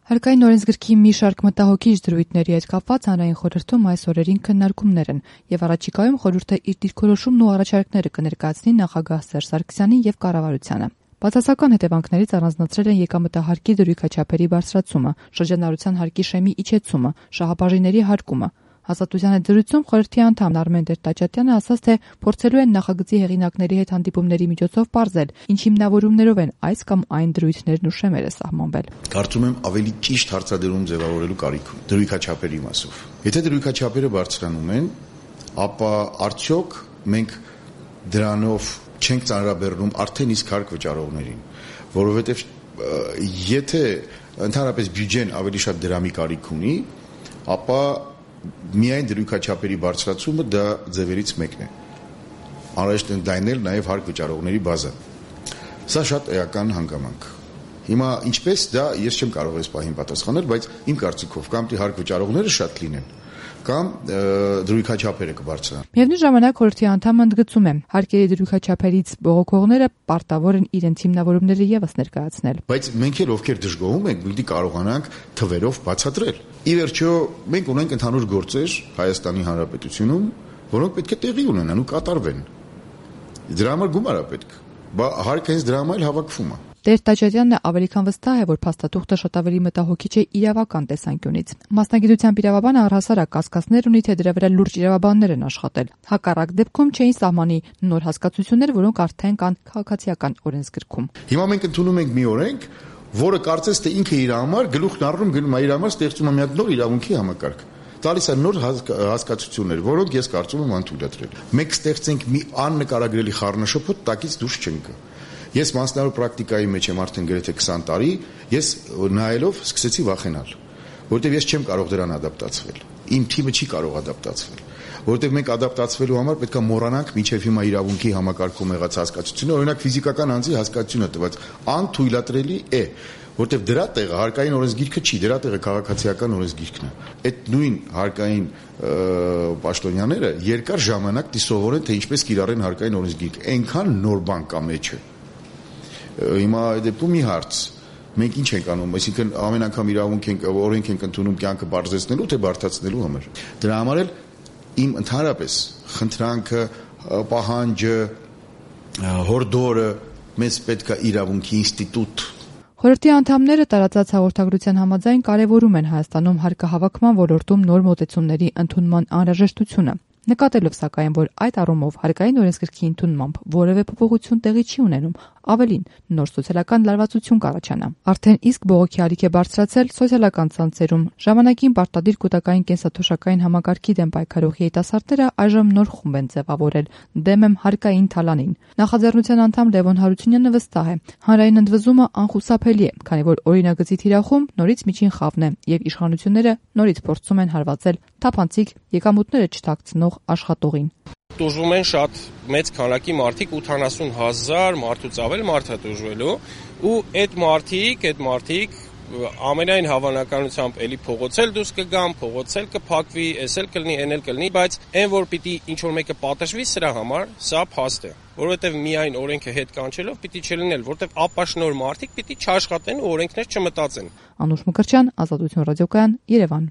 Հարկային օրենսգրքի մի շարք մտահոգիչ դրույթների հետ կապված հանրային խորհրդում այս օրերին քննարկումներ են եւ առաջիկայում խորհուրդը իր դիրքորոշումն ու առաջարկները կներկայացնի նախագահ Սերժ Սարգսյանին եւ կառավարությանը։ Բացասական հետևանքներից առանձնացրել են եկամտահարկի դրույքաչափերի բարձրացումը, շրջանառության հարկի շեմի իջեցումը, շահաբաժինների հարկումը։ Հաստատության հետ զրույցում խորհրդի անդամ Արմեն Տեր-Տաճատյանը ասաց, թե փորձելու են նախագծի հեղինակների հետ հանդիպումների միջոցով պարզել, ինչ հիմնավորումներով են այս կամ այն դրույթներն ու շեմերը սահմանվել։ Կարծում եմ ավելի ճիշտ հարցադրում ձևավորելու կարիք ունի դրույքաչափերի մասով։ Եթե դրույքաչափերը բարձրանում են, ապա արդյոք մենք դրանով չենք ծանրաբեռնում արդեն իսկ հարկ վճարողներին, որովհետև եթե ընդհանրապես բյուջեն ավելի շատ դրամի կարիք ունի, ապա միայն դրույքաչափերի բարձրացումը դա ձևերից մեկն է։ Անհրաժեշտ է ընդլայնել նաև հարկ վճարողների բազան։ Սա շատ էական հանգամանք։ Հիմա ինչպես դա ես չեմ կարող այս պահին պատասխանել, բայց իմ կարծիքով կամ հարկ վճարողները շատ լինեն, կամ դրույքաչափերը կբարձրանան։ Միևնույն ժամանակ խորհրդի անդամը ընդգծում է, հարկերի դրույքաչափերից բողոքողները պարտավոր են իրենց հիմնավորումները եւս ներկայացնել։ Բայց մենք էլ ովքեր դժգոհում ենք, պիտի կարողանանք թվերով բացատրել։ Ի վերջո մենք ունենք ընդհանուր գործեր Հայաստանի Հանրապետությունում, որոնք պետք է տեղի ունենան ու կատարվեն։ Դրա համար գումար է պետք։ Հարկը հենց դրա համար էլ հավաքվում է։ Տեր-Տաճատյանն ավելի քան վստահ է, որ փաստաթուղթը շատ ավելի մտահոգիչ է իրավական տեսանկյունից։ Մասնագիտությամբ իրավաբանը առհասարակ կասկածներ ունի, թե դրա վրա լուրջ իրավաբաններ են աշխատել։ Հակառակ դեպքում չէին սահմանի նոր հասկացություններ, որոնք արդեն կան քաղաքացիական օրենսգրքում։ Հիմա մենք ընդունում ենք մի օրենք, որը կարծես թե ինքը իր համար գլուխն առնում գնում է իր համար ստեղծում է մի հատ նոր իրավունքի համակարգ։ Տալիս է նոր հասկացություններ, որոնք ես կարծում եմ անդուրդրել։ Մենք ստեղծենք մի աննկարագրելի խառնաշփոթ, տակից դուրս չենք գա։ Ես մասնավոր պրակտիկայի մեջ եմ արդեն գրեթե 20 տարի, ես նայելով սկսեցի վախենալ, որովհետև ես չեմ կարող դրան ադապտացվել։ Իմ թիմը չի կարող ադապտացվել, որովհետև մենք ադապտացվելու համար պետք է մոռանանք մինչև հիմա իրավունքի համակարգում եղած հասկացությունը, օրինակ ֆիզիկական անձի հասկացությունը տված անթույլատրելի է, որովհետև դրա տեղը հարկային օրենսգիրքը չի, դրա տեղը քաղաքացիական օրենսգիրքն է։ Այդ նույն հարկային պաշտոնյաները երկար ժամանակ դիսովորեն, թե ինչպես կիրառեն հարկային օրենսգիրքը։ Այնքան նոր բան կա մեջը։ Հիմա դեպքում մի հարց, մենք ինչ ենք անում, այսինքն ամեն անգամ իրավունք ենք, օրենք ենք ընդունում կյանքը բարձրացնելու թե բարդացնելու համար։ Դրա համար էլ իմ ընդհանրապես խնդրանքը, պահանջը, հորդորը մեզ պետք է իրավունքի ինստիտուտ։ Խորհրդի անդամները տարածած հաղորդագրության համաձայն կարևորում են Հայաստանում հարկահավաքման ոլորտում նոր մոտեցումների ընդունման անհրաժեշտությունը։ Նկատելով սակայն, որ այդ առումով հարկային օրենսգրքի ընդունմամբ որևէ փոփոխություն տեղի չի ունենում, ավելին նոր սոցիալական լարվածություն կառաջանա։ Արդեն իսկ բողոքի ալիք է բարձրացել սոցիալական ցանցերում։ Ժամանակին պարտադիր կൂട്ടակային կենսաթոշակային համակարգի դեմ պայքարող երիտասարդները այժմ նոր խումբ են ձևավորել՝ դեմ եմ հարկային թալանին։ Նախաձեռնության անդամ Լևոն Հարությունյանը վստահ է, հանրային ընդվզումը անխուսափելի է, քանի որ օրինագծի թիրախում նորից միջին խավն է եւ իշխանությունները նորից փորձում են հարվածել թափանցիկ եկամուտները չթաքցնող աշխատողին։ Տուժվում են շատ մեծ քանակի մարդիկ, 80,000 մարդուց ավել մարդ է տուժվելու ու այդ մարդիկ ամենայն հավանականությամբ էլի փողոցել դուրս կգան, փողոցել կփակվի, էսել կլինի, էնել կլինի, բայց այն որ պիտի ինչ որ մեկը պատժվի սրա համար, սա փաստ է, որովհետև միայն օրենքը հետ կանչելով պիտի չլինել, որովհետև ապաշնոր մարդիկ պիտի չաշխատեն ու օրենքներ չմտածեն։ Անուշ Մկրտչյան, Ազատություն ռադիոկայան, Երևան։